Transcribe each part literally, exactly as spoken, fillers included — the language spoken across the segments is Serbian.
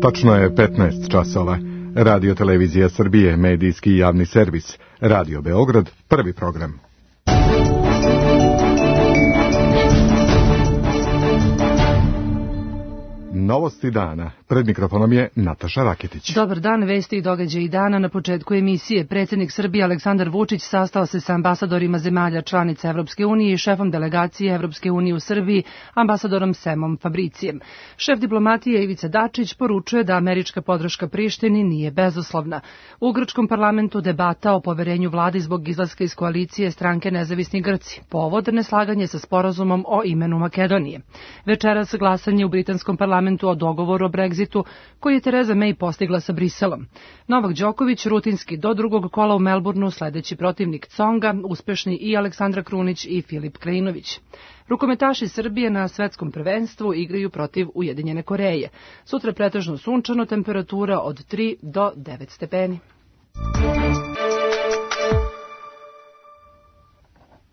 Tačno je petnaest časova. Radio Televizija Srbije, medijski i javni servis. Radio Beograd, prvi program. Novosti dana. Pred mikrofonom je Nataša Raketić. Dobar dan, vesti i događaji dana. Na početku emisije predsjednik Srbije Aleksandar Vučić sastao se sa ambasadorima zemalja članica Evropske unije i šefom delegacije Evropske unije u Srbiji, ambasadorom Semom Fabricijem. Šef diplomatije Ivica Dačić poručuje da američka podrška Prištini nije bezuslovna. U grčkom parlamentu debata o poverenju vladi zbog izlaska iz koalicije stranke Nezavisni Grci. Povod neslaganje sa sporazumom o imenu Makedonije. Večeras glasanje u britanskom parlamentu o dogovoru o Brexitu koji je Tereza May postigla sa Briselom. Novak Đoković rutinski do drugog kola u Melbourneu, sledeći protivnik Tsonga, uspešni i Aleksandra Krunić i Filip Krajinović. Rukometaši Srbije na svetskom prvenstvu igraju protiv Ujedinjene Koreje. Sutra pretežno sunčano, temperatura od tri do devet stepeni.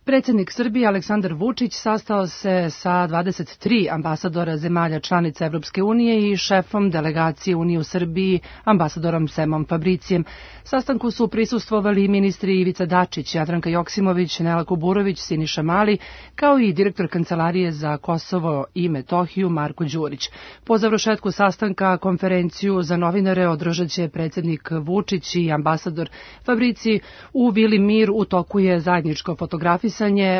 Predsjednik Srbije Aleksandar Vučić sastao se sa dvadeset tri ambasadora zemalja članica Evropske unije i šefom delegacije Unije u Srbiji, ambasadorom Semom Fabricijem. Sastanku su prisustvovali ministri Ivica Dačić, Jadranka Joksimović, Nela Kuburović, Siniša Mali, kao i direktor Kancelarije za Kosovo i Metohiju Marko Đurić. Po završetku sastanka konferenciju za novinare održat će predsjednik Vučić i ambasador Fabricij u Vili Mir. U toku je zajedničko fotografisanje,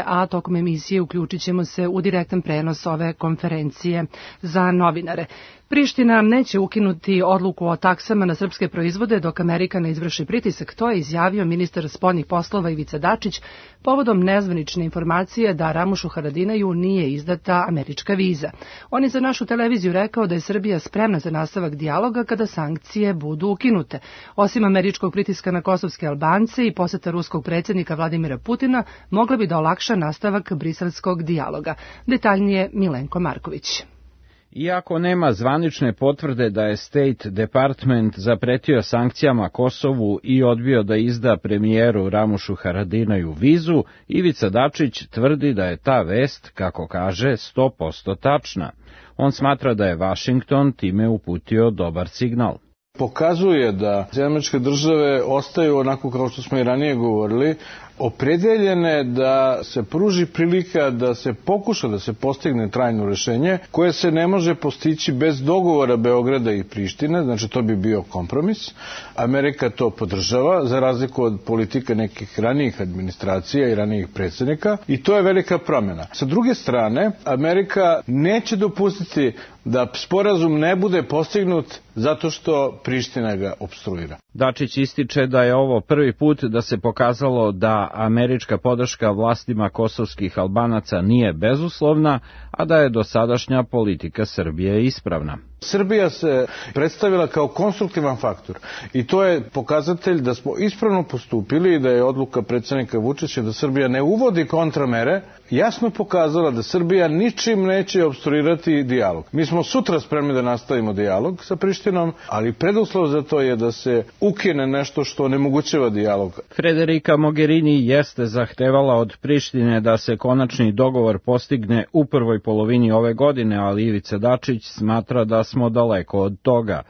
a tokom emisije uključit ćemo se u direktan prenos ove konferencije za novinare. Priština neće ukinuti odluku o taksama na srpske proizvode dok Amerika ne izvrši pritisak, to je izjavio ministar spoljnih poslova Ivica Dačić povodom nezvanične informacije da Ramušu Haradinaju nije izdata američka viza. On je za našu televiziju rekao da je Srbija spremna za nastavak dijaloga kada sankcije budu ukinute. Osim američkog pritiska na kosovske Albance i poseta ruskog predsjednika Vladimira Putina, mogla bi da olakša nastavak briselskog dijaloga. Detaljnije Milenko Marković. Iako nema zvanične potvrde da je State Department zapretio sankcijama Kosovu i odbio da izda premijeru Ramušu Haradinaju vizu, Ivica Dačić tvrdi da je ta vest, kako kaže, sto posto tačna. On smatra da je Vašington time uputio dobar signal. Pokazuje da američke države ostaju, onako kao što smo i ranije govorili, opredeljene da se pruži prilika da se pokuša da se postigne trajno rešenje koje se ne može postići bez dogovora Beograda i Prištine, znači to bi bio kompromis. Amerika to podržava za razliku od politika nekih ranijih administracija i ranijih predsjednika i to je velika promjena. Sa druge strane, Amerika neće dopustiti da sporazum ne bude postignut zato što Priština ga opstruira. Dačić ističe da je ovo prvi put da se pokazalo da američka podrška vlastima kosovskih Albanaca nije bezuslovna, a da je dosadašnja politika Srbije ispravna. Srbija se predstavila kao konstruktivan faktor i to je pokazatelj da smo ispravno postupili i da je odluka predsjednika Vučića da Srbija ne uvodi kontramere jasno pokazala da Srbija ničim neće opstruirati dijalog. Mi smo sutra spremni da nastavimo dijalog sa Prištinom, ali preduslov za to je da se ukine nešto što onemogućava dijalog. Federica Mogherini jeste zahtevala od Prištine da se konačni dogovor postigne u prvoj polovini ove godine, ali Ivica Dačić smatra da smo daleko od toga.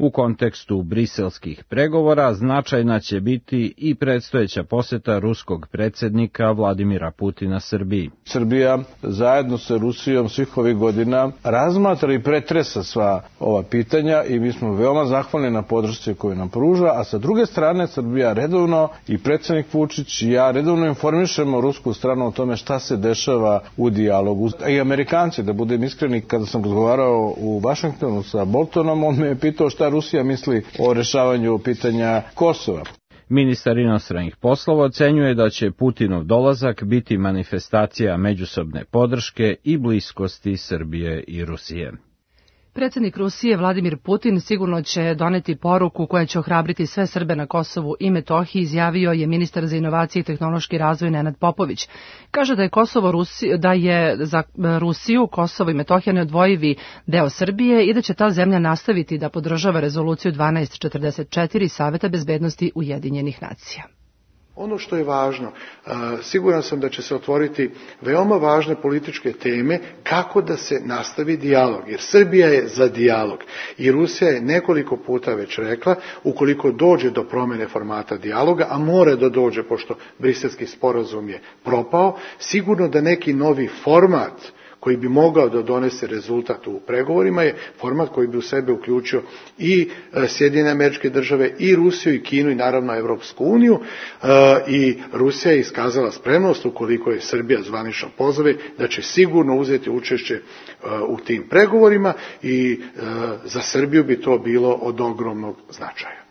U kontekstu briselskih pregovora značajna će biti i predstojeća poseta ruskog predsjednika Vladimira Putina Srbiji. Srbija zajedno sa Rusijom svih ovih godina razmatra i pretresa sva ova pitanja i mi smo veoma zahvalni na podršci koju nam pruža, a sa druge strane Srbija redovno i predsjednik Vučić i ja redovno informišemo rusku stranu o tome šta se dešava u dijalogu. I Amerikanci, da budem iskreni, kada sam razgovarao u Vašingtonu sa Boltonom, on me je pitao šta Rusija misli o rešavanju pitanja Kosova. Ministar inostranih poslova ocenjuje da će Putinov dolazak biti manifestacija međusobne podrške i bliskosti Srbije i Rusije. Predsjednik Rusije Vladimir Putin sigurno će doneti poruku koja će ohrabriti sve Srbe na Kosovu i Metohiji, izjavio je ministar za inovacije i tehnološki razvoj Nenad Popović. Kaže da je Kosovo Rusi, da je za Rusiju Kosovo i Metohija neodvojivi deo Srbije i da će ta zemlja nastaviti da podržava rezoluciju dvanaest četrdeset četiri Saveta bezbednosti Ujedinjenih nacija. Ono što je važno, siguran sam da će se otvoriti veoma važne političke teme kako da se nastavi dijalog, jer Srbija je za dijalog i Rusija je nekoliko puta već rekla, ukoliko dođe do promjene formata dijaloga, a mora da dođe pošto Briselski sporazum je propao, sigurno da neki novi format koji bi mogao da donese rezultat u pregovorima je format koji bi u sebe uključio i Sjedinjene Američke Države, i Rusiju, i Kinu, i naravno Evropsku uniju, i Rusija je iskazala spremnost, ukoliko je Srbija zvanično pozove, da će sigurno uzeti učešće u tim pregovorima i za Srbiju bi to bilo od ogromnog značaja.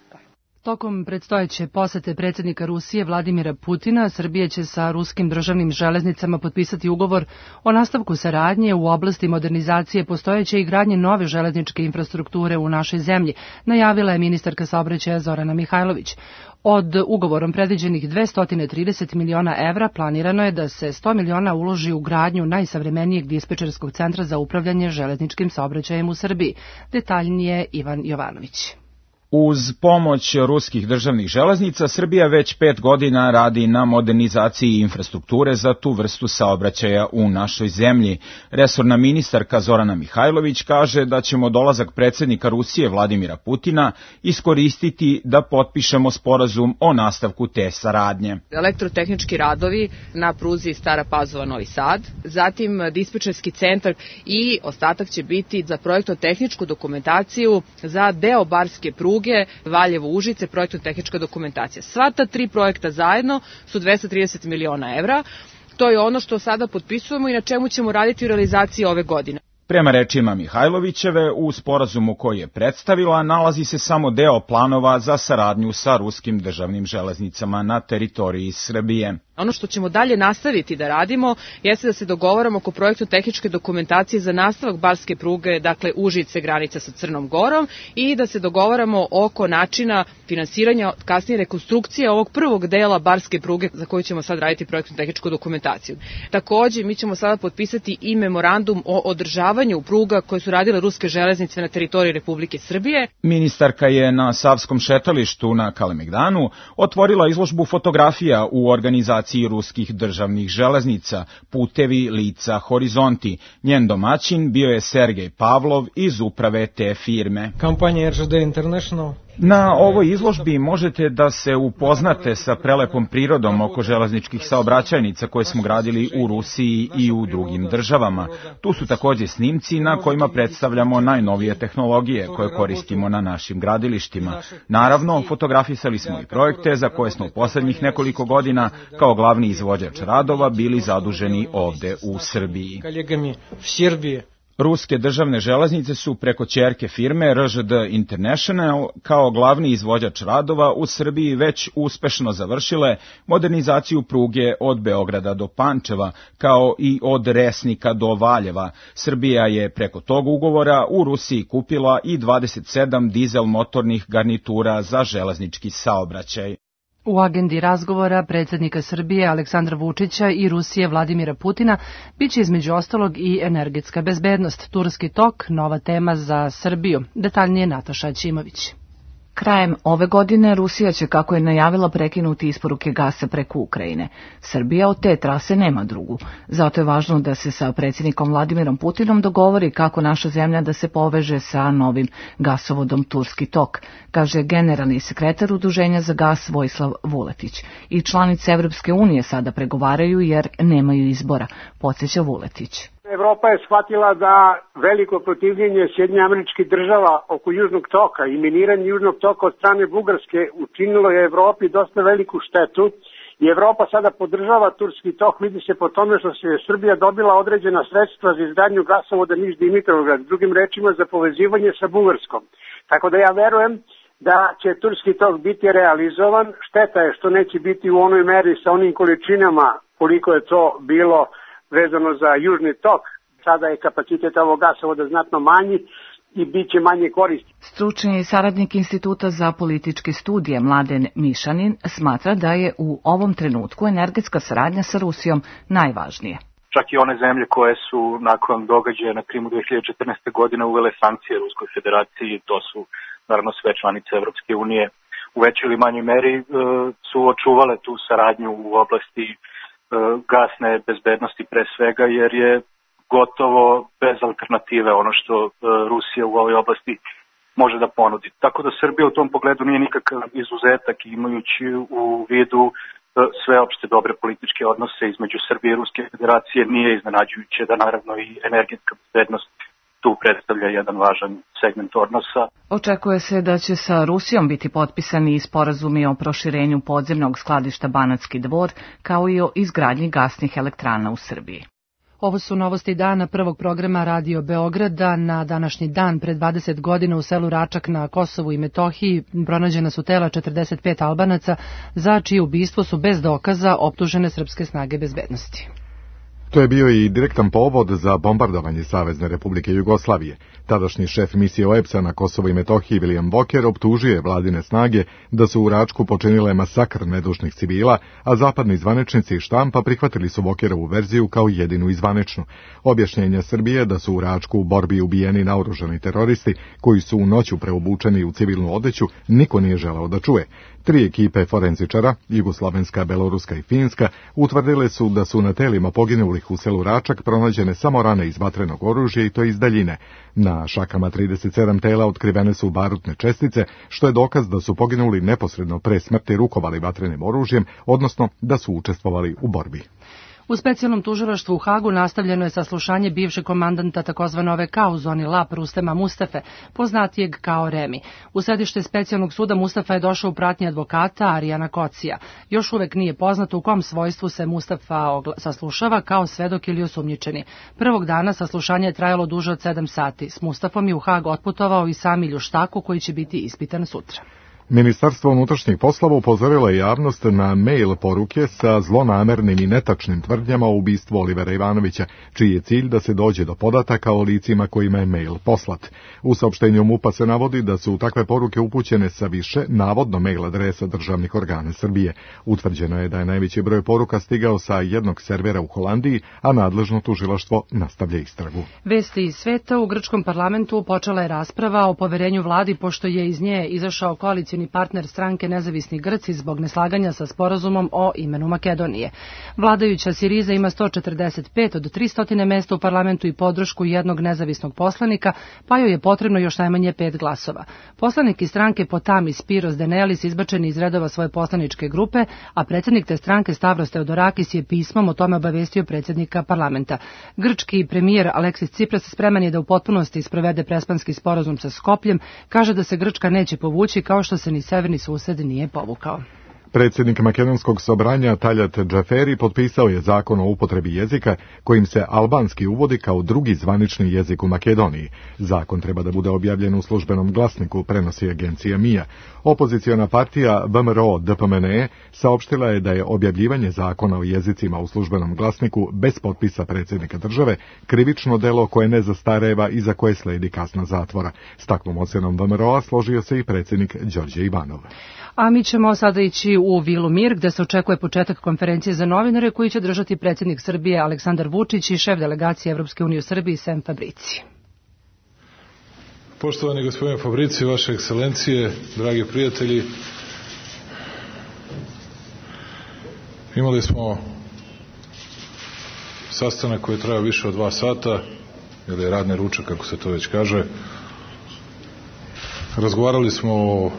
Tokom predstojeće posete predsjednika Rusije Vladimira Putina, Srbija će sa ruskim državnim železnicama potpisati ugovor o nastavku saradnje u oblasti modernizacije postojeće i gradnje nove železničke infrastrukture u našoj zemlji, najavila je ministarka saobraćaja Zorana Mihajlović. Od ugovorom predviđenih dvesta trideset miliona evra planirano je da se sto miliona uloži u gradnju najsavremenijeg dispečerskog centra za upravljanje železničkim saobraćajem u Srbiji. Detaljnije Ivan Jovanović. Uz pomoć ruskih državnih železnica, Srbija već pet godina radi na modernizaciji infrastrukture za tu vrstu saobraćaja u našoj zemlji. Resorna ministarka Zorana Mihajlović kaže da ćemo dolazak predsjednika Rusije Vladimira Putina iskoristiti da potpišemo sporazum o nastavku te saradnje. Elektrotehnički radovi na pruzi Stara Pazova-Novi Sad, zatim dispečerski centar i ostatak će biti za projektno-tehničku dokumentaciju za deo barske pruge Valjevo-Užice, projektno-tehnička dokumentacija. Sva ta tri projekta zajedno su dvesta trideset miliona evra. To je ono što sada potpisujemo i na čemu ćemo raditi u realizaciji ove godine. Prema rečima Mihajlovićeve, u sporazumu koji je predstavila nalazi se samo deo planova za saradnju sa ruskim državnim železnicama na teritoriji Srbije. Ono što ćemo dalje nastaviti da radimo jeste da se dogovaramo oko projektno-tehničke dokumentacije za nastavak barske pruge, dakle Užice, granica sa Crnom Gorom, i da se dogovaramo oko načina finansiranja, kasnije rekonstrukcije ovog prvog dela barske pruge za koju ćemo sad raditi projektno-tehničku dokumentaciju. Takođe, mi ćemo sada potpisati i memorandum o održavanju pruga koje su radile ruske železnice na teritoriji Republike Srbije. Ministarka je na Savskom šetalištu na Kalemegdanu otvorila izložbu fotografija u organizaciji ruskih državnih železnica, Putevi, lica, horizonti. Njen domaćin bio je Sergej Pavlov iz uprave te firme. Kompanija R Ž D International. Na ovoj izložbi možete da se upoznate sa prelepom prirodom oko železničkih saobraćajnica koje smo gradili u Rusiji i u drugim državama. Tu su takođe snimci na kojima predstavljamo najnovije tehnologije koje koristimo na našim gradilištima. Naravno, fotografisali smo i projekte za koje smo u poslednjih nekoliko godina kao glavni izvođač radova bili zaduženi ovde u Srbiji. Ruske državne železnice su preko ćerke firme R Ž D International kao glavni izvođač radova u Srbiji već uspešno završile modernizaciju pruge od Beograda do Pančeva, kao i od Resnika do Valjeva. Srbija je preko tog ugovora u Rusiji kupila i dvadeset sedam dizel motornih garnitura za železnički saobraćaj. U agendi razgovora predsjednika Srbije Aleksandra Vučića i Rusije Vladimira Putina biće između ostalog i energetska bezbednost, Turski tok, nova tema za Srbiju. Detaljnije Nataša Ćimović. Krajem ove godine Rusija će, kako je najavila, prekinuti isporuke gasa preko Ukrajine. Srbija od te trase nema drugu. Zato je važno da se sa predsjednikom Vladimirom Putinom dogovori kako naša zemlja da se poveže sa novim gasovodom Turski tok, kaže generalni sekretar Udruženja za gas Vojislav Vuletić. I članice Evropske unije sada pregovaraju jer nemaju izbora, podsjeća Vuletić. Evropa je shvatila da veliko protivljenje Sjedinjenih Američkih Država oko Južnog toka i miniranje Južnog toka od strane Bugarske učinilo je Evropi dosta veliku štetu i Evropa sada podržava Turski tok, vidi se po tome što se Srbija dobila određena sredstva za izgradnju gasovoda Niš-Dimitrovgrad, drugim rečima za povezivanje sa Bugarskom. Tako da ja verujem da će Turski tok biti realizovan. Šteta je što neće biti u onoj meri sa onim količinama koliko je to bilo vezano za Južni tok. Sada je kapacitet ovog gasovoda znatno manji i bit će manje koristi. Stručni saradnik Instituta za političke studije Mladen Mišanin smatra da je u ovom trenutku energetska saradnja sa Rusijom najvažnije. Čak i one zemlje koje su nakon događaja na Krimu dve hiljade četrnaeste. godine uvele sankcije Ruskoj federaciji, to su naravno sve članice Evropske unije, u većoj ili manjoj meri su očuvale tu saradnju u oblasti gasne bezbednosti pre svega, jer je gotovo bez alternative ono što Rusija u ovoj oblasti može da ponudi. Tako da Srbija u tom pogledu nije nikakav izuzetak, imajući u vidu sveopšte dobre političke odnose između Srbije i Ruske federacije. Nije iznenađujuće da naravno i energetska bezbednost tu predstavlja jedan važan segment odnosa. Očekuje se da će sa Rusijom biti potpisani i sporazumi o proširenju podzemnog skladišta Banatski Dvor, kao i o izgradnji gasnih elektrana u Srbiji. Ovo su novosti dana prvog programa Radio Beograda. Na današnji dan pred dvadeset godina u selu Račak na Kosovu i Metohiji pronađena su tela četrdeset pet Albanaca za čije ubistvo su bez dokaza optužene srpske snage bezbednosti. To je bio i direktan povod za bombardovanje Savezne Republike Jugoslavije. Tadašnji šef misije O E P S-a na Kosovo i Metohiji William Walker optužuje vladine snage da su u Račku počinile masakr nedužnih civila, a zapadni zvaničnici i štampa prihvatili su Walkerovu verziju kao jedinu i zvaničnu. Objašnjenja Srbije da su u Račku u borbi ubijeni naoružani teroristi koji su u noću preobučeni u civilnu odeću niko nije želeo da čuje. Tri ekipe forenzičara, jugoslovenska, beloruska i finska, utvrdile su da su na telima poginulih u selu Račak pronađene samo rane iz vatrenog oružja i to iz daljine. Na šakama trideset sedam tela otkrivene su barutne čestice, što je dokaz da su poginuli neposredno pre smrti rukovali vatrenim oružjem, odnosno da su učestvovali u borbi. U specijalnom tužilaštvu u Hagu nastavljeno je saslušanje bivšeg komandanta takozvane O V K u zoni Lap Rustema Mustafe, poznatijeg kao Remi. U sedište specijalnog suda Mustafa je došao u pratnji advokata Arijana Kocija. Još uvek nije poznato u kom svojstvu se Mustafa saslušava kao svedok ili osumnjičeni. Prvog dana saslušanje je trajalo duže od sedam sati. S Mustafom je u Hag otputovao i Sami Ljuštaku koji će biti ispitan sutra. Ministarstvo unutrašnjih poslova upozorilo je javnost na mail poruke sa zlonamernim i netačnim tvrdnjama o ubistvu Olivera Ivanovića, čiji je cilj da se dođe do podataka o licima kojima je mail poslat. U saopštenju MUP-a se navodi da su takve poruke upućene sa više, navodno mail adresa državnih organa Srbije. Utvrđeno je da je najveći broj poruka stigao sa jednog servera u Holandiji, a nadležno tužilaštvo nastavlja istragu. Vesti iz sveta. U grčkom parlamentu počela je rasprava o poverenju vladi, pošto je iz nje izašao koalicioni partner stranke Nezavisni Grci zbog neslaganja sa sporazumom o imenu Makedonije. Vladajuća Siriza ima sto četrdeset pet od tristo mesta u parlamentu i podršku jednog nezavisnog poslanika, pa joj je potrebno još najmanje pet glasova. Poslanik iz stranke Potami Spiros Denelis izbačen iz redova svoje poslaničke grupe, a predsjednik te stranke Stavros Teodorakis je pismom o tome obavestio predsjednika parlamenta. Grčki premijer Aleksis Tsipras spreman je da u potpunosti sprovede prespanski sporazum sa Skopljem, kaže da se Grčka neće povući kao što se ni severni sused nije povukao. Predsjednik makedonskog sobranja Taljat Džaferi potpisao je zakon o upotrebi jezika kojim se albanski uvodi kao drugi zvanični jezik u Makedoniji. Zakon treba da bude objavljen u službenom glasniku, prenosi agencija Mija. Opoziciona partija B M R O D P M N E saopštila je da je objavljivanje zakona o jezicima u službenom glasniku bez potpisa predsjednika države krivično delo koje ne zastareva i za koje sledi kazna zatvora. S takvom ocenom B M R O-a složio se i predsjednik Đorđe Ivanov. A mi ćemo sada ići u Vilu Mir, gde se očekuje početak konferencije za novinare koji će držati predsjednik Srbije Aleksandar Vučić i šef delegacije Evropske unije u Srbiji Sem Fabrici. Poštovani gospodine Fabrici, vaše ekscelencije, dragi prijatelji, imali smo sastanak koji je trajao više od dva sata, ili radni ručak, kako se to već kaže. Razgovarali smo o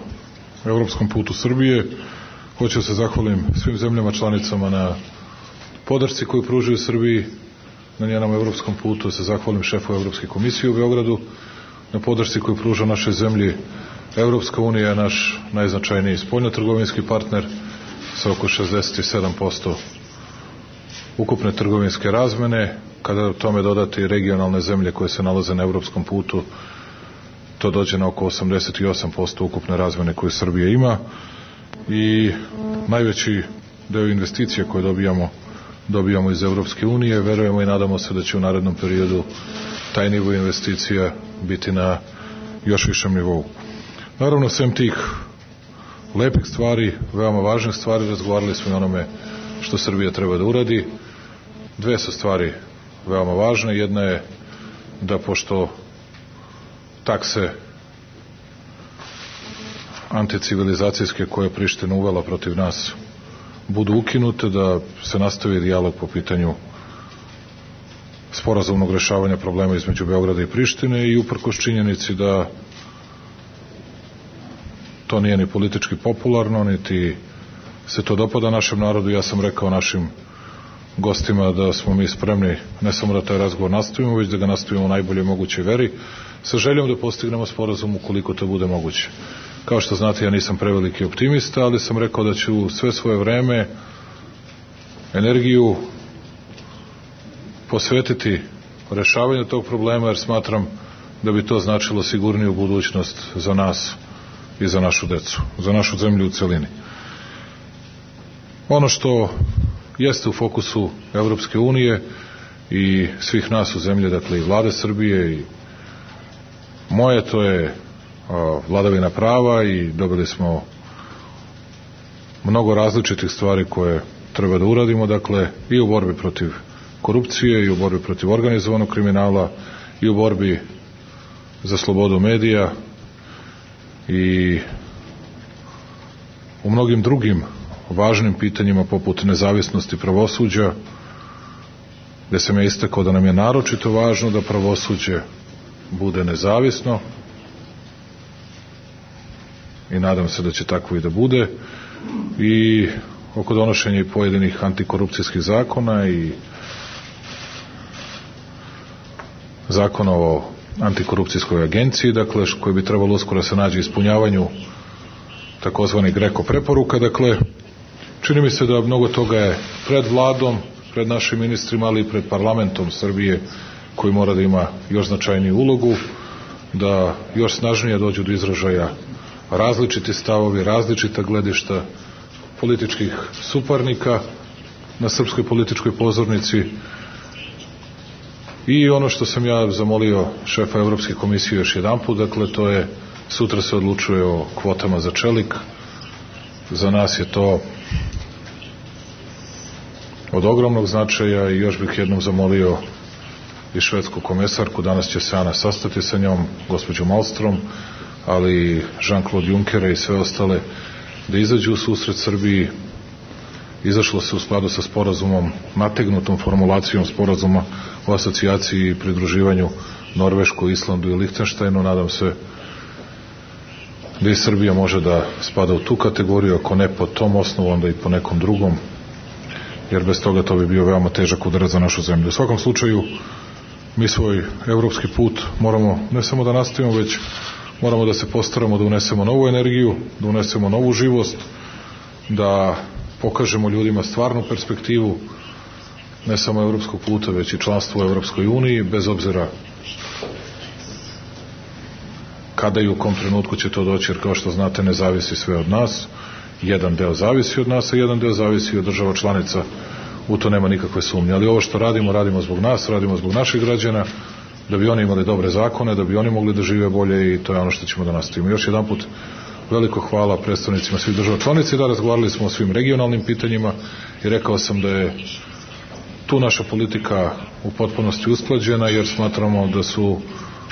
evropskom putu Srbije. Hoću se zahvalim svim zemljama članicama na podršci koju pružaju Srbiji na njenom evropskom putu. Se zahvalim šefu Evropske komisije u Beogradu na podršci koju pruža našoj zemlji. Evropska unija je naš najznačajniji spoljnotrgovinski partner sa oko šezdeset sedam posto ukupne trgovinske razmene. Kada tome dodate i regionalne zemlje koje se nalaze na evropskom putu, to dođe na oko osamdeset osam posto ukupne razmene koje Srbija ima i najveći deo investicija koje dobijamo dobijamo iz Evropske unije. Verujemo i nadamo se da će u narednom periodu taj nivo investicija biti na još višem nivou. Naravno, sem tih lepih stvari, veoma važnih stvari, razgovarali smo i onome što Srbija treba da uradi. Dve su stvari veoma važne. Jedna je da pošto takse anticivilizacijske koje je Priština uvela protiv nas budu ukinute, da se nastavi dijalog po pitanju sporazumnog rešavanja problema između Beograda i Prištine i uprkos činjenici da to nije ni politički popularno, niti se to dopada našem narodu. Ja sam rekao našim gostima da smo mi spremni ne samo da taj razgovor nastavimo, već da ga nastavimo u najboljoj mogućoj veri, sa željom da postignemo sporazum ukoliko to bude moguće. Kao što znate, ja nisam preveliki optimista, ali sam rekao da ću sve svoje vreme, energiju posvetiti rešavanju tog problema, jer smatram da bi to značilo sigurniju budućnost za nas i za našu decu, za našu zemlju u celini. Ono što jeste u fokusu Evropske unije i svih nas u zemlji, dakle i vlade Srbije i moje, to je a, vladavina prava i dobili smo mnogo različitih stvari koje treba da uradimo, dakle i u borbi protiv korupcije i u borbi protiv organizovanog kriminala i u borbi za slobodu medija i u mnogim drugim važnim pitanjima poput nezavisnosti pravosuđa, gde sam ja istakao da nam je naročito važno da pravosuđe bude nezavisno i nadam se da će tako i da bude, i oko donošenja i pojedinih antikorupcijskih zakona i zakona o antikorupcijskoj agenciji, dakle, koji bi trebalo uskoro se nađe ispunjavanju takozvani Greko preporuka. Dakle, čini mi se da mnogo toga je pred vladom, pred našim ministrima, ali i pred parlamentom Srbije, koji mora da ima još značajniju ulogu, da još snažnije dođu do izražaja različiti stavovi, različita gledišta političkih suparnika na srpskoj političkoj pozornici. I ono što sam ja zamolio šefa Evropske komisije još jedan put, dakle, to je, sutra se odlučuje o kvotama za čelik. Za nas je to od ogromnog značaja i još bih jednom zamolio i švedsku komesarku, danas će se Ana sastati sa njom, gospođu Malmström, ali i Jean-Claude Junckera i sve ostale, da izađu u susret Srbiji. Izašlo se u skladu sa sporazumom, nategnutom formulacijom sporazuma o asocijaciji i pridruživanju Norvešku, Islandu i Lihtenštajnu. Nadam se da i Srbija može da spada u tu kategoriju, ako ne po tom osnovu, onda i po nekom drugom, jer bez toga to bi bio veoma težak udarac za našu zemlju. U svakom slučaju, mi svoj evropski put moramo ne samo da nastavimo, već moramo da se postaramo da unesemo novu energiju, da unesemo novu živost, da pokažemo ljudima stvarnu perspektivu ne samo evropskog puta, već i članstvo u Evropskoj uniji, bez obzira kada i u kom trenutku će to doći, jer kao što znate, ne zavisi sve od nas. Jedan deo zavisi od nas, a jedan deo zavisi od država članica, u to nema nikakve sumnje. Ali ovo što radimo, radimo zbog nas, radimo zbog naših građana, da bi oni imali dobre zakone, da bi oni mogli da žive bolje, i to je ono što ćemo da nastavimo. Još jedan put veliko hvala predstavnicima svih država članica. Da, razgovarali smo o svim regionalnim pitanjima i rekao sam da je tu naša politika u potpunosti usklađena, jer smatramo da su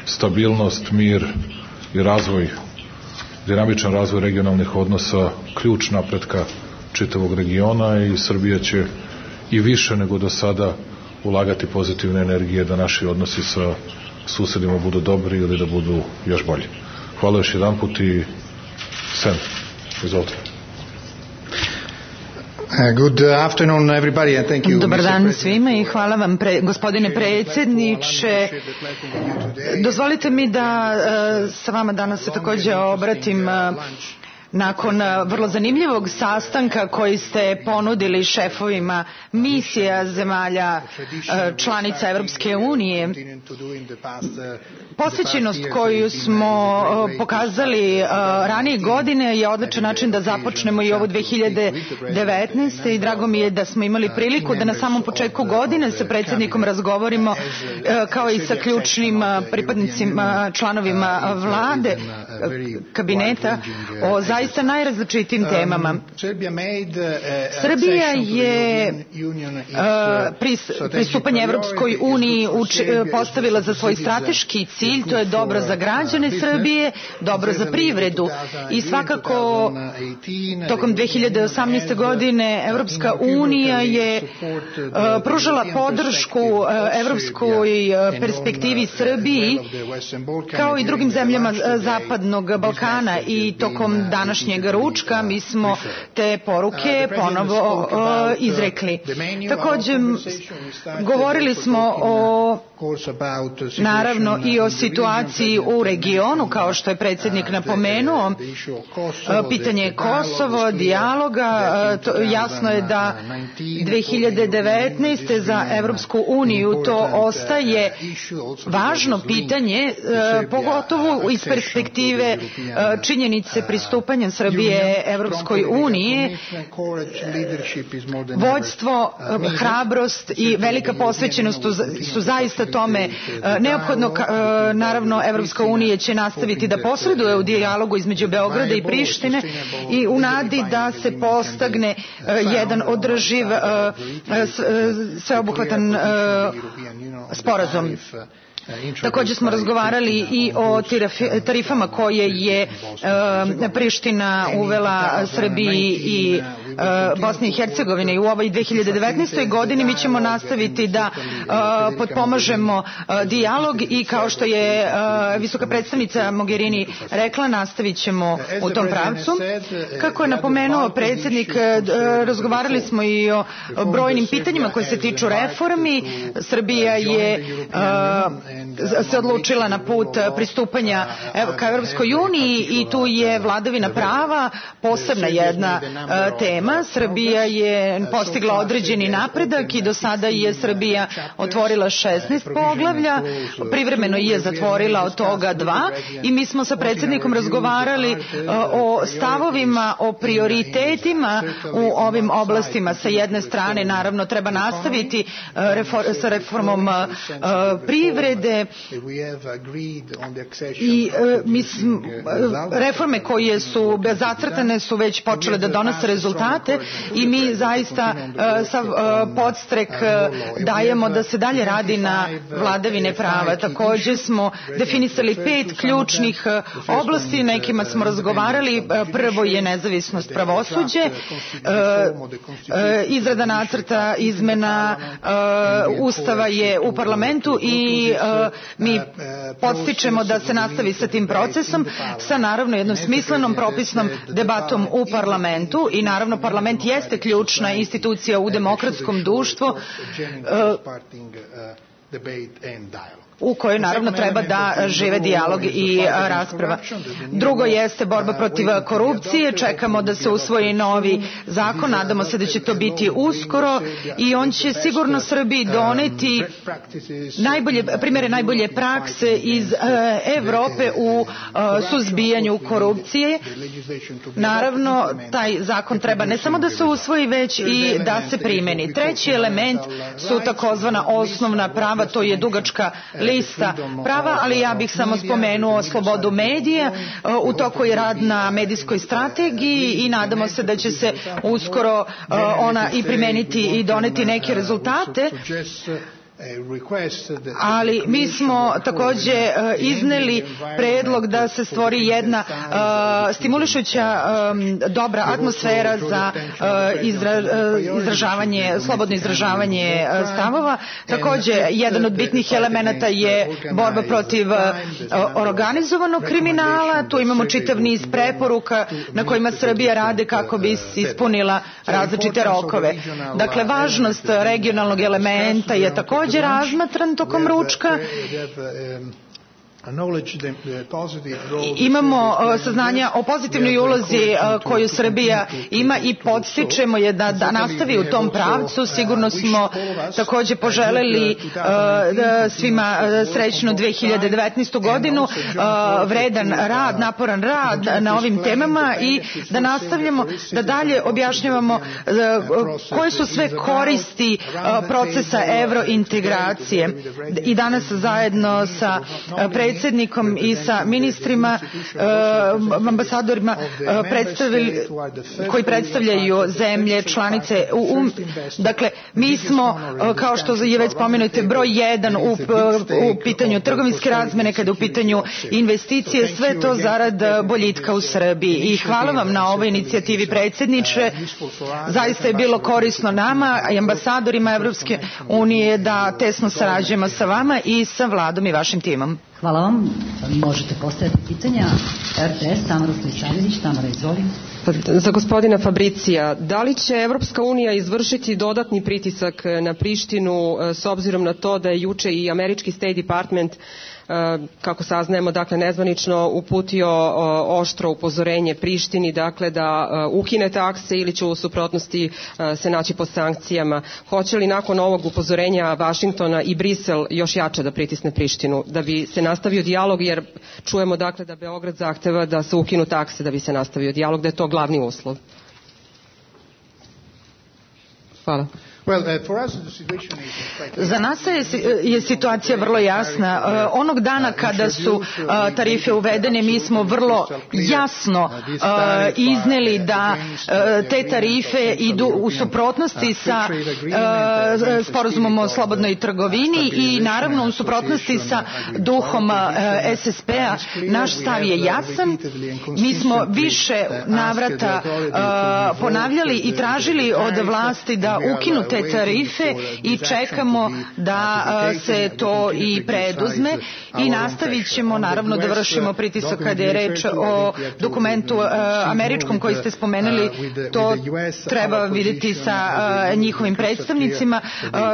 stabilnost, mir i razvoj, dinamičan razvoj regionalnih odnosa ključ napretka čitavog regiona, i Srbija će i više nego do sada ulagati pozitivne energije da naši odnosi sa susedima budu dobri ili da budu još bolji. Hvala još jedan put i Sen, izvolite. Good afternoon everybody and thank you. Dobar dan svima i hvala vam pre, gospodine predsjedniče. Dozvolite mi da uh, sa vama danas se također obratim uh, nakon vrlo zanimljivog sastanka koji ste ponudili šefovima misija zemalja članica Evropske unije. Posvećenost koju smo pokazali ranije godine je odličan način da započnemo i ovu dve hiljade devetnaeste. i drago mi je da smo imali priliku da na samom početku godine sa predsjednikom razgovorimo kao i sa ključnim pripadnicima, članovima vlade, kabineta, o zaista najrazličitijim temama. Srbija je pristupanje Evropskoj uniji postavila za svoj strateški cilj, to je dobro za građane Srbije, dobro za privredu i svakako tokom dve hiljade osamnaeste. godine Evropska unija je pružala podršku evropskoj perspektivi Srbiji kao i drugim zemljama Zapadnog Balkana i tokom današnjeg ručka mi smo te poruke ponovo izrekli. Također govorili smo o naravno i o situaciji u regionu, kao što je predsjednik napomenuo, pitanje Kosovo, dijaloga, to, jasno je da dve hiljade devetnaeste. za Evropsku uniju to ostaje važno pitanje, pogotovo iz perspektive činjenice pristupanja Srbije Evropskoj uniji. Vođstvo, hrabrost i velika posvećenost su zaista tome neophodno. Naravno, Evropska unija će nastaviti da posreduje u dijalogu između Beograda i Prištine i u nadi da se postigne jedan održiv, sveobuhvatan sporazum. Također smo razgovarali i o tarifama koje je Priština uvela Srbiji i Bosni i Hercegovini i u ovoj dve hiljade devetnaestoj. godini mi ćemo nastaviti da potpomažemo dijalog i kao što je visoka predstavnica Mogherini rekla, nastavit ćemo u tom pravcu. Kako je napomenuo predsjednik, razgovarali smo i o brojnim pitanjima koje se tiču reformi. Srbija je se odlučila na put pristupanja ka Evropskoj uniji i tu je vladavina prava posebna jedna tema. Srbija je postigla određeni napredak i do sada je Srbija otvorila šesnaest poglavlja, privremeno je zatvorila od toga dva i mi smo sa predsjednikom razgovarali o stavovima, o prioritetima u ovim oblastima. Sa jedne strane naravno treba nastaviti sa reformom privrede i mislim, reforme koje su zacrtane su već počele da donose rezultate i mi zaista sav podstrek dajemo da se dalje radi na vladavine prava. Također smo definisali pet ključnih oblasti, nekima smo razgovarali. Prvo je nezavisnost pravosuđe, izrada nacrta izmena Ustava je u parlamentu i mi podstičemo da se nastavi sa tim procesom, sa naravno jednom smislenom propisnom debatom u parlamentu i naravno parlament jeste ključna institucija u demokratskom društvu u kojoj naravno treba da žive dijalog i rasprava. Drugo jeste borba protiv korupcije, čekamo da se usvoji novi zakon, nadamo se da će to biti uskoro i on će sigurno Srbiji doneti najbolje, primjere najbolje prakse iz Evrope u suzbijanju korupcije. Naravno, taj zakon treba ne samo da se usvoji, već i da se primeni. Treći element su takozvana osnovna prava, to je dugačka lista prava, ali ja bih samo spomenuo slobodu medija. U toku je rad na medijskoj strategiji i nadamo se da će se uskoro ona i primeniti i doneti neke rezultate. Ali mi smo također izneli predlog da se stvori jedna stimulišuća dobra atmosfera za izražavanje, slobodno izražavanje stavova. Također jedan od bitnih elemenata je borba protiv organizovanog kriminala. Tu imamo čitav niz preporuka na kojima Srbija rade kako bi ispunila različite rokove. Dakle, važnost regionalnog elementa je također razmatran tokom ručka. Imamo saznanja o pozitivnoj ulozi koju Srbija ima i podstičemo je da, da nastavi u tom pravcu. Sigurno smo također poželeli svima srećnu dve hiljade devetnaestu. godinu, vredan rad, naporan rad na ovim temama i da nastavljamo da dalje objašnjavamo koje su sve koristi procesa evrointegracije. I danas zajedno sa predsjednikom predsjednikom i sa ministrima, ambasadorima predstavili, koji predstavljaju zemlje, članice. Um, dakle, mi smo, kao što je već spomenute, broj jedan u, u pitanju trgovinske razmene, kada u pitanju investicije, sve to zarad boljitka u Srbiji. I hvala vam na ovoj inicijativi, predsjedniče. Zaista je bilo korisno nama i ambasadorima Evropske unije da tesno sarađujemo sa vama i sa vladom i vašim timom. Hvala vam. Možete postaviti pitanja. R T S, Tamara Stojčanović. Tamara, izvoli. Za gospodina Fabricija, da li će Evropska unija izvršiti dodatni pritisak na Prištinu s obzirom na to da je juče i američki State Department, kako saznajemo, dakle nezvanično uputio oštro upozorenje Prištini, dakle da ukine takse ili će u suprotnosti se naći pod sankcijama. Hoće li nakon ovog upozorenja Vašingtona i Brisel još jače da pritisne Prištinu da bi se nastavio dijalog, jer čujemo dakle da Beograd zahteva da se ukinu takse da bi se nastavio dijalog, da je to glavni uslov. Hvala. Za nas je situacija vrlo jasna. Onog dana kada su tarife uvedene, mi smo vrlo jasno izneli da te tarife idu u suprotnosti sa sporazumom o slobodnoj trgovini i naravno u suprotnosti sa duhom S S P-a. Naš stav je jasan. Mi smo više navrata ponavljali i tražili od vlasti da ukinu te tarife i čekamo da se to i preduzme i nastavit ćemo naravno da vršimo pritisak kada je reč o dokumentu američkom koji ste spomenuli. To treba vidjeti sa njihovim predstavnicima.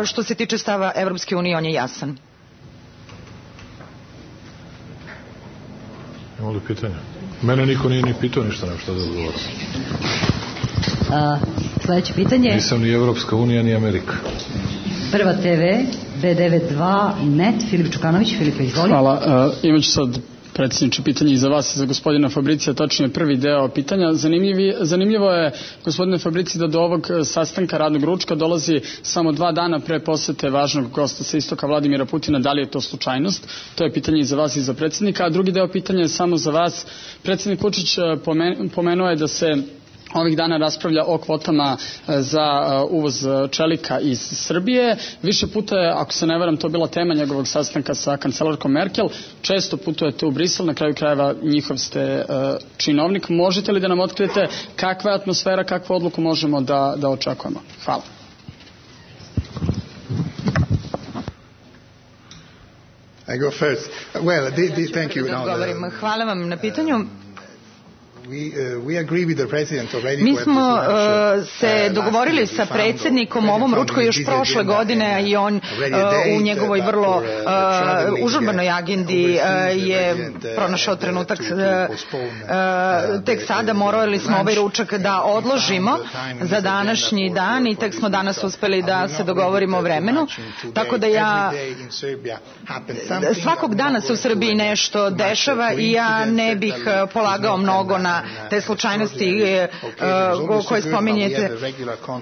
Što se tiče stava Evropske unije, on je jasan. Ima li pitanja? Mene niko nije ni pitao ništa, nema šta da odgovorim. Sljedeće pitanje. Nisam ni Evropska unija, ni Amerika. Prva T V, B devedeset dva net, Filip Čukanović. Filipe, izvoli. Hvala. Uh, imaću sad, predsjedniče, pitanje i za vas i za gospodina Fabricija, tačno je prvi deo pitanja. Zanimljivi, zanimljivo je, gospodine Fabrici, da do ovog sastanka radnog ručka dolazi samo dva dana pre posete važnog gosta sa istoka Vladimira Putina. Da li je to slučajnost? To je pitanje i za vas i za predsjednika. A drugi deo pitanja je samo za vas. Predsjednik Vučić pomenuo je da se ovih dana raspravlja o kvotama za uvoz čelika iz Srbije. Više puta je, ako se ne varam, to bila tema njegovog sastanka sa kancelarkom Merkel. Često putujete u Brisel, na kraju krajeva njihov ste činovnik. Možete li da nam otkrijete kakva je atmosfera, kakvu odluku možemo da, da očekujemo? Hvala. I go first. Well, the, the, thank you. No, hvala vam na pitanju. Mi smo se dogovorili sa predsjednikom o ovom ručku još prošle godine i on u njegovoj vrlo užurbanoj agendi je pronašao trenutak. Tek sada morali smo ovaj ručak da odložimo za današnji dan i tek smo danas uspeli da se dogovorimo o vremenu. Tako da ja svakog dana se u Srbiji nešto dešava i ja ne bih polagao mnogo na te slučajnosti koje spominjete.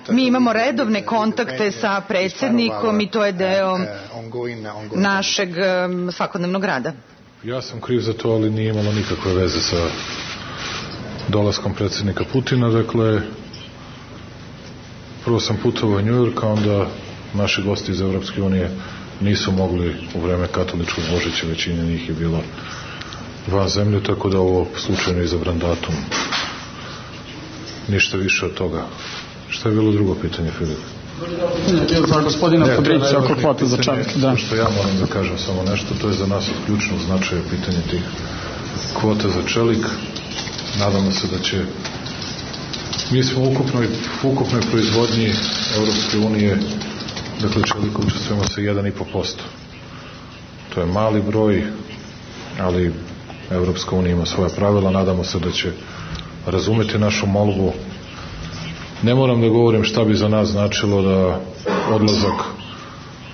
Mi imamo redovne kontakte sa predsjednikom i to je deo našeg svakodnevnog rada. Ja sam kriv za to, ali nije imalo nikakve veze sa dolaskom predsjednika Putina. Dakle, prvo sam putovao u Njujork, a onda naši gosti iz Evropske unije nisu mogli u vreme katoličkog Božića, većina njih je bila van zemlje, tako da ovo slučajno izabran datum. Ništa više od toga. Šta je bilo drugo pitanje, Filip? Za gospodina Fabrića oko kvota za čelik. Da. Što ja moram da kažem samo nešto, to je za nas od ključnog značaja pitanje tih kvota za čelik. Nadamo se da će mi smo u ukupnoj, ukupnoj proizvodnji Evropske unije, dakle čelika učestvujemo sa jedan i po posto. To je mali broj, ali Evropska unija ima svoja pravila, nadamo se da će razumeti našu molbu. Ne moram da govorim šta bi za nas značilo da odlazak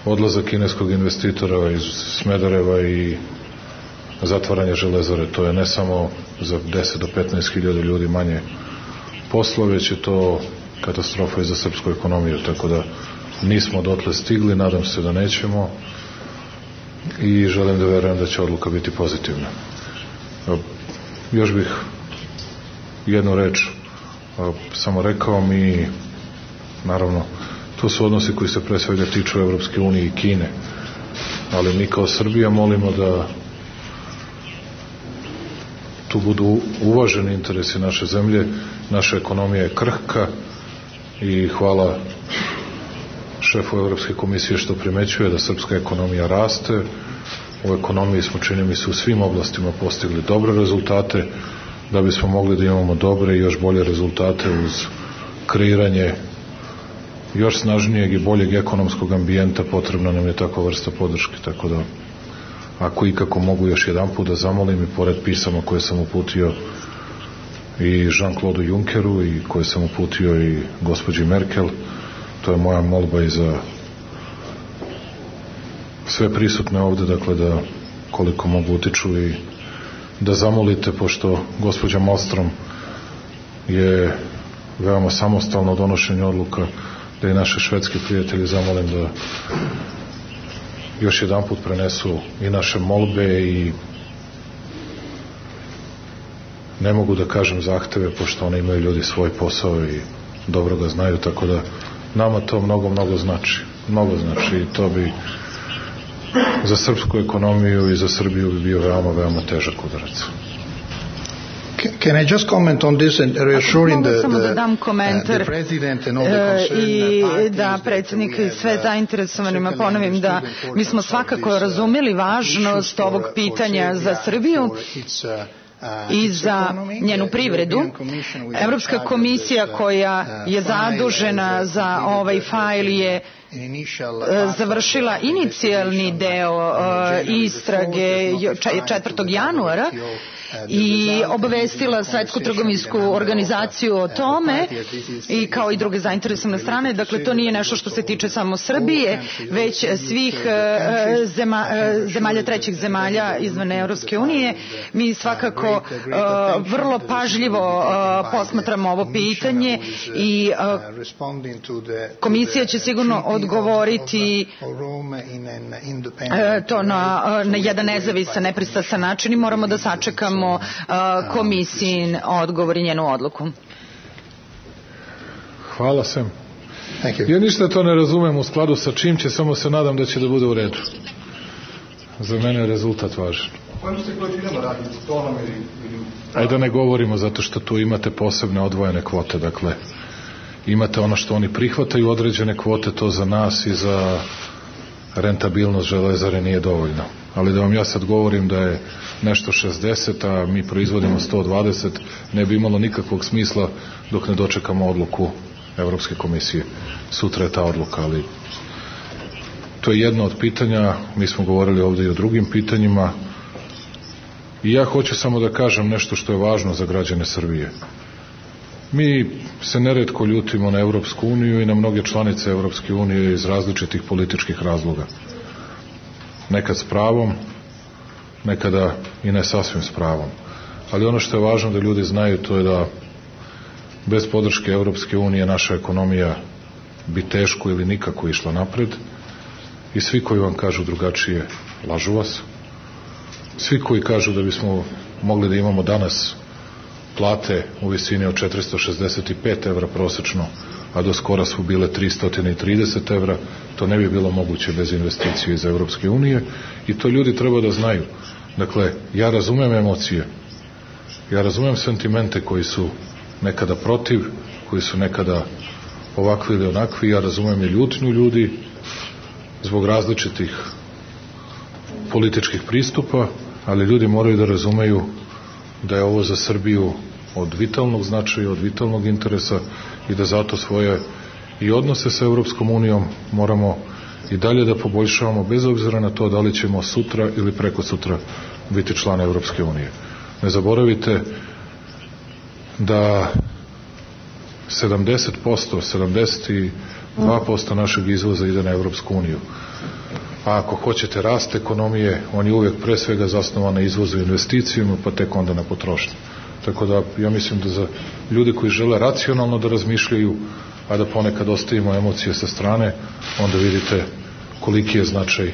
odlazak kineskog investitora iz Smedereva i zatvaranje železare, to je ne samo za deset do petnaest hiljada ljudi manje posla, već je to katastrofa i za srpsku ekonomiju, tako da nismo dotle stigli, nadam se da nećemo. i želim da verujem da će odluka biti pozitivna. Još bih jednu reč samo rekao, mi naravno to su odnosi koji se pre svega tiču Evropske unije i Kine, ali mi kao Srbija molimo da tu budu uvaženi interesi naše zemlje. Naša ekonomija je krhka i hvala šefu Evropske komisije što primećuje da srpska ekonomija raste. U ekonomiji smo, čini mi se, u svim oblastima postigli dobre rezultate. Da bismo mogli da imamo dobre i još bolje rezultate uz kreiranje još snažnijeg i boljeg ekonomskog ambijenta, potrebna nam je takva vrsta podrške. Tako da, ako ikako mogu još jedan put da zamolim, i pored pisama koje sam uputio i Jean-Claude Junckeru i koje sam uputio i gospođi Merkel, to je moja molba i za sve prisutne ovde, dakle da koliko mogu utiču i da zamolite, pošto gospođa Malmström je veoma samostalno u donošenju odluka, da i naše švedske prijatelji zamolim da još jedan put prenesu i naše molbe i ne mogu da kažem zahteve, pošto one imaju ljudi svoj posao i dobro ga znaju, tako da nama to mnogo, mnogo znači. Mnogo znači i to bi za srpsku ekonomiju i za Srbiju bi bio veoma, veoma težak udarac. Can I just comment on this and reassuring the, samo da the, dam komentar uh, the president and all the i da predsjednik i sve zainteresovanima ponovim da mi smo svakako razumeli važnost ovog pitanja za Srbiju i za njenu privredu. Evropska komisija koja je zadužena za ovaj fajl je završila inicijalni deo istrage četvrtog januara i obavestila Svetsku trgovinsku organizaciju o tome i kao i druge zainteresovane strane. Dakle, to nije nešto što se tiče samo Srbije, već svih zema, zemalja, trećih zemalja izvan Europske unije. Mi svakako vrlo pažljivo posmatramo ovo pitanje i komisija će sigurno odgovoriti to na, na jedan nezavisan, nepristrasan način i moramo da sačekamo komisijin odgovor i njenu odluku. Hvala Sem. Ja ništa to ne razumem u skladu sa čim će, samo se nadam da će da bude u redu. Za mene je rezultat važan. Ajde da ne govorimo, zato što tu imate posebne odvojene kvote, dakle imate ono što oni prihvataju, određene kvote, to za nas i za rentabilnost železare nije dovoljno. Ali da vam ja sad govorim da je nešto šezdeset, a mi proizvodimo sto dvadeset, ne bi imalo nikakvog smisla dok ne dočekamo odluku Evropske komisije. Sutra je ta odluka, ali to je jedno od pitanja. Mi smo govorili ovde i o drugim pitanjima i ja hoću samo da kažem nešto što je važno za građane Srbije. Mi se neretko ljutimo na Evropsku uniju i na mnoge članice Evropske unije iz različitih političkih razloga. Nekad s pravom, nekada i ne sasvim s pravom. Ali ono što je važno da ljudi znaju, to je da bez podrške Evropske unije naša ekonomija bi teško ili nikako išla napred i svi koji vam kažu drugačije lažu vas. Svi koji kažu da bismo mogli da imamo danas plate u visini od četiristo šezdeset pet evra prosečno, a do skora su bile tristo trideset evra, to ne bi bilo moguće bez investicije iz Evropske unije i to ljudi treba da znaju. Dakle, ja razumem emocije, ja razumem sentimente koji su nekada protiv, koji su nekada ovakvi ili onakvi, ja razumem i ljutnju ljudi zbog različitih političkih pristupa, ali ljudi moraju da razumeju da je ovo za Srbiju od vitalnog značaja, od vitalnog interesa i da zato svoje i odnose sa Evropskom unijom moramo i dalje da poboljšavamo, bez obzira na to da li ćemo sutra ili preko sutra biti član Evropske unije. Ne zaboravite da sedamdeset posto, sedamdeset dva posto našeg izvoza ide na Evropsku uniju. A ako hoćete rast ekonomije, on je uvijek pre svega zasnovan na izvozu i investicijama, pa tek onda na potrošnju. Tako da ja mislim da za ljude koji žele racionalno da razmišljaju, a da ponekad ostavimo emocije sa strane, onda vidite koliki je značaj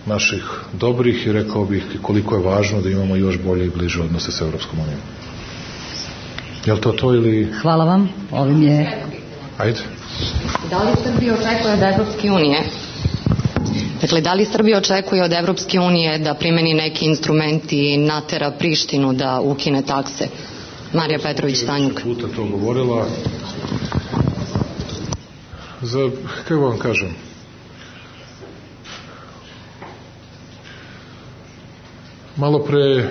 naših dobrih i rekao bih koliko je važno da imamo još bolje i bliže odnose sa Evropskom unijom. Je li to to ili... Hvala vam, ovim je... Ajde. Da li Srbija očekuje od Evropske unije Dakle, da li Srbija očekuje od Evropske unije da primeni neki instrument i natera Prištinu da ukine takse? Marija Petrović-Tanjug. Puta to govorila. Za, kako vam kažem, malo pre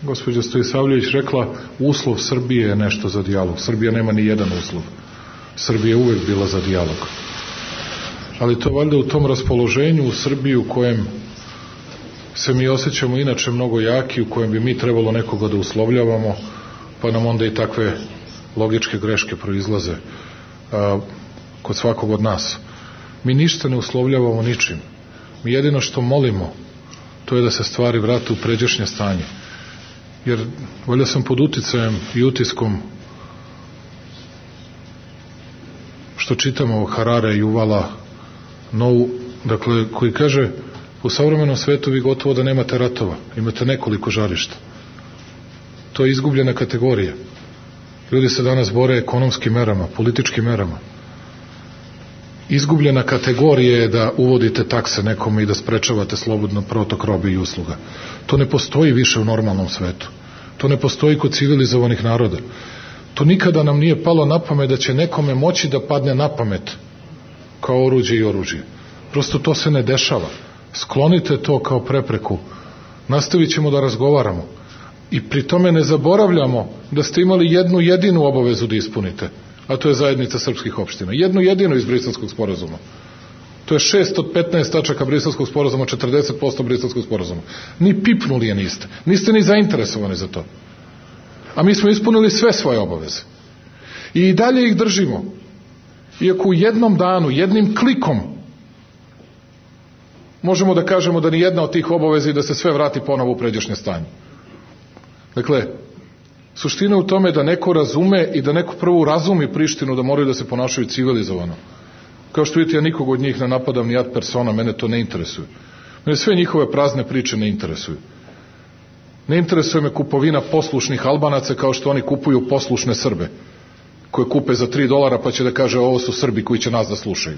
gospođa Stojisavljević rekla uslov Srbije je nešto za dijalog. Srbija nema ni jedan uslov. Srbija je uvek bila za dijalog. Ali to valjda u tom raspoloženju u Srbiji u kojem se mi osjećamo inače mnogo jaki, u kojem bi mi trebalo nekoga da uslovljavamo, pa nam onda i takve logičke greške proizlaze a, kod svakog od nas. Mi ništa ne uslovljavamo ničim. Mi jedino što molimo, to je da se stvari vrate u pređašnje stanje. Jer valjda sam pod uticajem i utiskom što čitamo o Harare i Uvala Novu, dakle, koji kaže u savremenom svetu vi gotovo da nemate ratova, imate nekoliko žarišta. To je izgubljena kategorija. Ljudi se danas bore ekonomskim merama, političkim merama. Izgubljena kategorija je da uvodite takse nekome i da sprečavate slobodno protok robe i usluga. To ne postoji više u normalnom svetu. To ne postoji kod civilizovanih naroda. To nikada nam nije palo na pamet da će nekome moći da padne na pamet kao oruđe i oružje. Prosto to se ne dešava. Sklonite to kao prepreku. Nastavit ćemo da razgovaramo. I pri tome ne zaboravljamo da ste imali jednu jedinu obavezu da ispunite, a to je zajednica srpskih opština. Jednu jedinu iz Briselskog sporazuma. To je šest od petnaest tačaka Briselskog sporazuma, četrdeset posto Briselskog sporazuma. Ni pipnuli je niste. Niste ni zainteresovani za to. A mi smo ispunili sve svoje obaveze. I dalje ih držimo. Iako u jednom danu, jednim klikom, možemo da kažemo da ni jedna od tih obaveza i da se sve vrati ponovo u pređašnje stanje. Dakle, suština u tome da neko razume i da neko prvo razumi Prištinu da moraju da se ponašaju civilizovano. Kao što vidite, ja nikog od njih ne napadam ni ad persona, mene to ne interesuje. Mene sve njihove prazne priče ne interesuju. Ne interesuje me kupovina poslušnih Albanaca kao što oni kupuju poslušne Srbe, koje kupe za tri dolara pa će da kaže ovo su Srbi koji će nas da slušaju.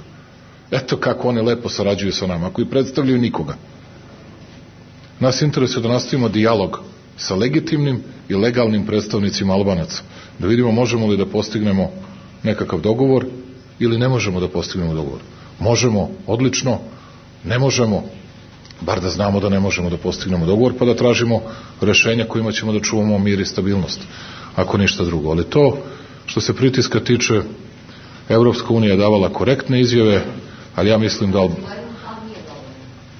Eto kako oni lepo sarađuju sa nama, koji predstavljaju nikoga. Nas interesuje da nastavimo dijalog sa legitimnim i legalnim predstavnicima Albanaca. Da vidimo možemo li da postignemo nekakav dogovor ili ne možemo da postignemo dogovor. Možemo, odlično, ne možemo, bar da znamo da ne možemo da postignemo dogovor, pa da tražimo rešenja kojima ćemo da čuvamo mir i stabilnost, ako ništa drugo. Ali to, što se pritiska tiče, Evropska unija je davala korektne izjave, ali ja mislim da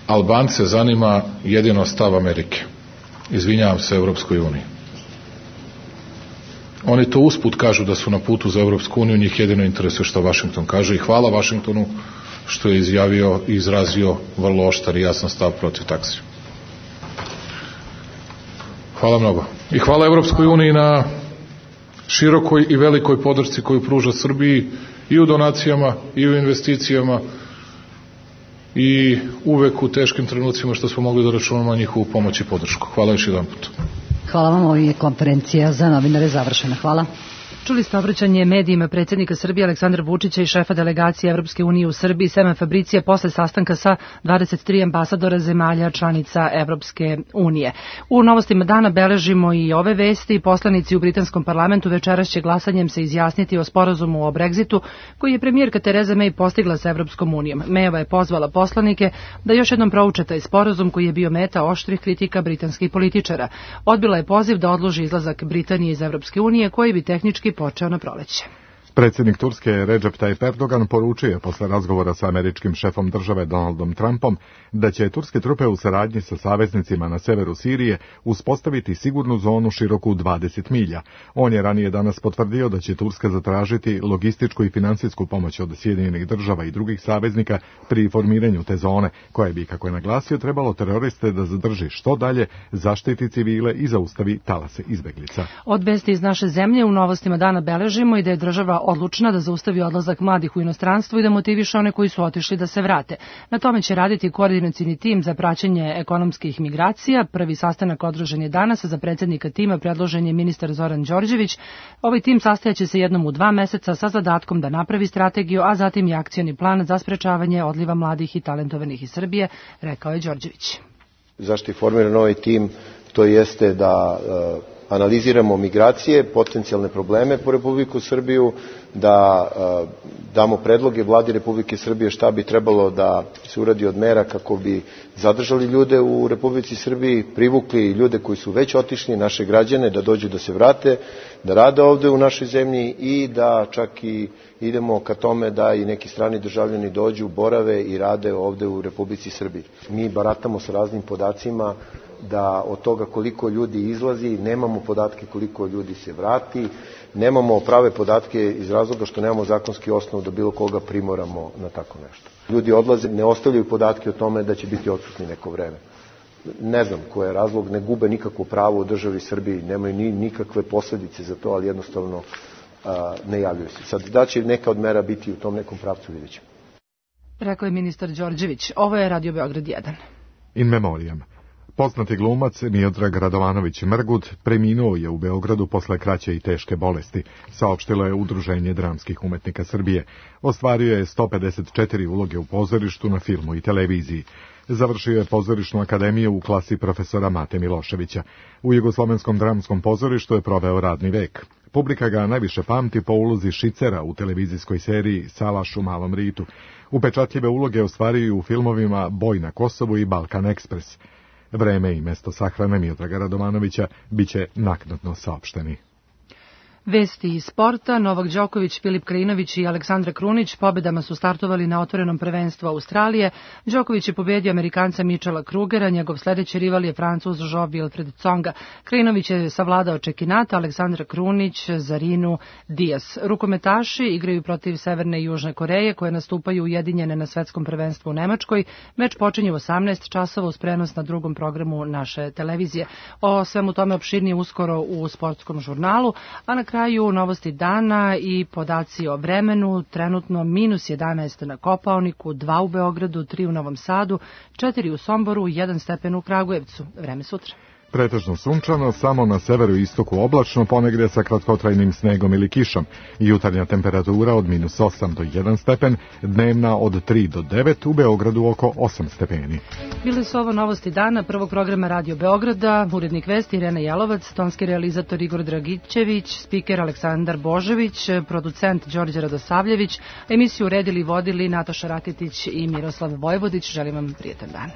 Albance zanima jedino stav Amerike. Izvinjavam se Evropskoj uniji. Oni to usput kažu da su na putu za Evropsku uniju, njih jedino interesuje što Vašington kaže i hvala Vašingtonu što je izjavio i izrazio vrlo oštar i jasan stav protiv taksi. Hvala mnogo. I hvala Evropskoj uniji na širokoj i velikoj podršci koju pruža Srbiji i u donacijama i u investicijama i uvek u teškim trenucima što smo mogli da računamo na njihovu pomoć i podršku. Hvala još jedan put. Hvala vam, ovo je konferencija za novinare završena. Hvala. Čuli ste obraćanje medijima predsjednika Srbije Aleksandra Vučića i šefa delegacije Evropske unije u Srbiji Semen Fabricija posle sastanka sa dvadeset tri ambasadora zemalja članica Evropske unije. U novostima dana beležimo i ove vesti. Poslanici u britanskom parlamentu večeras će glasanjem se izjasniti o sporazumu o Brexitu koji je premijerka Tereza May postigla sa Evropskom unijom. Mayova je pozvala poslanike da još jednom prouče taj sporazum koji je bio meta oštrih kritika britanskih političara. Odbila je poziv da odloži izlazak Britanije iz Evropske unije koji bi tehnički počeo na proleće. Predsjednik Turske Recep Tayyip Erdogan poručio posle razgovora sa američkim šefom države Donaldom Trumpom da će turske trupe u saradnji sa saveznicima na severu Sirije uspostaviti sigurnu zonu široku dvadeset milja. On je ranije danas potvrdio da će Turska zatražiti logističku i finansijsku pomoć od Sjedinjenih država i drugih saveznika pri formiranju te zone, koje bi, kako je naglasio, trebalo teroriste da zadrži što dalje, zaštiti civile i zaustavi talase izbeglica. Od vesti iz naše zemlje u novostima dana beležimo i da je država odlučna da zaustavi odlazak mladih u inostranstvo i da motiviše one koji su otišli da se vrate. Na tome će raditi koordinacioni tim za praćenje ekonomskih migracija. Prvi sastanak održan je danas, za predsednika tima predložen je ministar Zoran Đorđević. Ovaj tim sastajaće se jednom u dva meseca sa zadatkom da napravi strategiju, a zatim i akcioni plan za sprečavanje odliva mladih i talentovanih iz Srbije, rekao je Đorđević. Zašto je formiran ovaj tim? To jeste da e, analiziramo migracije, potencijalne probleme po Republiku Srbiju, da e, damo predloge vladi Republike Srbije šta bi trebalo da se uradi od mera kako bi zadržali ljude u Republici Srbiji, privukli ljude koji su već otišli, naše građane, da dođu da se vrate, da rade ovde u našoj zemlji i da čak i idemo ka tome da i neki strani državljani dođu, borave i rade ovde u Republici Srbiji. Mi baratamo sa raznim podacima da od toga koliko ljudi izlazi, nemamo podatke koliko ljudi se vrati, nemamo prave podatke iz razloga što nemamo zakonski osnov da bilo koga primoramo na tako nešto. Ljudi odlaze, ne ostavljaju podatke o tome da će biti odsutni neko vreme. Ne znam koji je razlog, ne gube nikakvo pravo u državi Srbiji, nemaju ni, nikakve posledice za to, ali jednostavno a, ne javljaju se. Sad, da će neka od mera biti u tom nekom pravcu, vidjet ćemo. Rekao je ministar Đorđević. Ovo je Radio Beograd jedan. In memoriam. Poznati glumac Miodrag Radovanović Mrgud preminuo je u Beogradu posle kraće i teške bolesti, saopštilo je Udruženje dramskih umetnika Srbije. Ostvario je sto pedeset četiri uloge u pozorištu, na filmu i televiziji. Završio je pozorišnu akademiju u klasi profesora Mate Miloševića. U Jugoslovenskom dramskom pozorištu je proveo radni vek. Publika ga najviše pamti po ulozi Šicera u televizijskoj seriji Salaš u Malom Ritu. Upečatljive uloge ostvario u filmovima Boj na Kosovu i Balkan Ekspres. Vreme i mesto sahrane Miodraga Radovanovića biće naknadno saopšteni. Vesti iz sporta. Novak Đoković, Filip Krajinović i Aleksandra Krunić pobedama su startovali na otvorenom prvenstvu Australije. Đoković je pobedio Amerikanca Michela Krugera, njegov sledeći rival je Francuz Jo-Wilfried Tsonga. Krajinović je savladao Čekinata, Aleksandra Krunić Zarinu Dias. Rukometaši igraju protiv Severne i Južne Koreje, koje nastupaju ujedinjene na svetskom prvenstvu u Nemačkoj. Meč počinje u osamnaest časova uz prenos na drugom programu naše televizije. O svemu tome opširnije uskoro u sportskom žurnalu, a na kraju novosti dana i podaci o vremenu. Trenutno minus jedanaest na Kopaoniku, dva u Beogradu, tri u Novom Sadu, četiri u Somboru, jedan stepen u Kragujevcu. Vreme sutra. Pretežno sunčano, samo na severu i istoku oblačno, ponegde sa kratkotrajnim snegom ili kišom. Jutarnja temperatura od minus osam do jedan stepen, dnevna od tri do devet, u Beogradu oko osam stepeni. Bili su ovo novosti dana prvog programa Radio Beograda, urednik vesti Irena Jelovac, tonski realizator Igor Dragićević, spiker Aleksandar Božević, producent Đorđe Radosavljević, emisiju uredili i vodili Nataša Raketić i Miroslav Vojvodić. Želim vam prijetan dan.